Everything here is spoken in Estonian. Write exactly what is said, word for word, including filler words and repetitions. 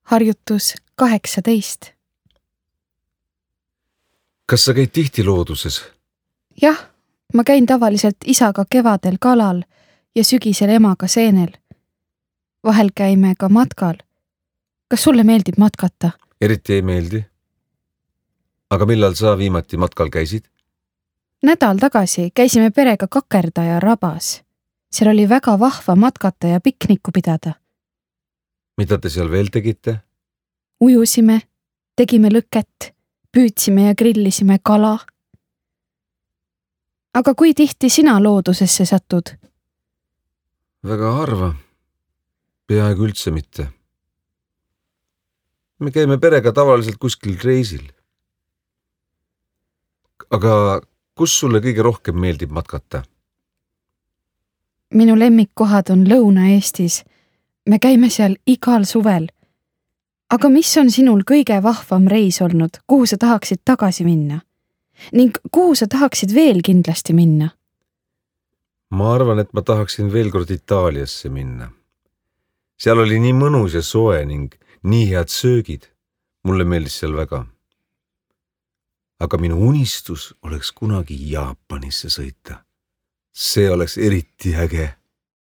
Harjutus kaheksateist. Kas sa käid tihti looduses? Jah, ma käin tavaliselt isaga kevadel kalal ja sügisel emaga seenel. Vahel käime ka matkal. Kas sulle meeldib matkata? Eriti ei meeldi. Aga millal sa viimati matkal käisid? Nädal tagasi käisime perega Kakerdaja rabas. Seal oli väga vahva matkata ja pikniku pidada. Mida te seal veel tegite? Ujusime, tegime lõket, püüdsime ja grillisime kala. Aga kui tihti sina loodusesse satud? Väga harva. Peaaegu üldse mitte. Me käime perega tavaliselt kuskil reisil. Aga kus sulle kõige rohkem meeldib matkata? Minu lemmikkohad on Lõuna-Eestis. Me käime seal igal suvel. Aga mis on sinul kõige vahvam reis olnud, kuhu sa tahaksid tagasi minna? Ning kuhu sa tahaksid veel kindlasti minna? Ma arvan, et ma tahaksin veel kord Itaaliasse minna. Seal oli nii mõnus ja soe ning nii head söögid. Mulle meeldis seal väga. Aga minu unistus oleks kunagi Jaapanisse sõita. See oleks eriti äge.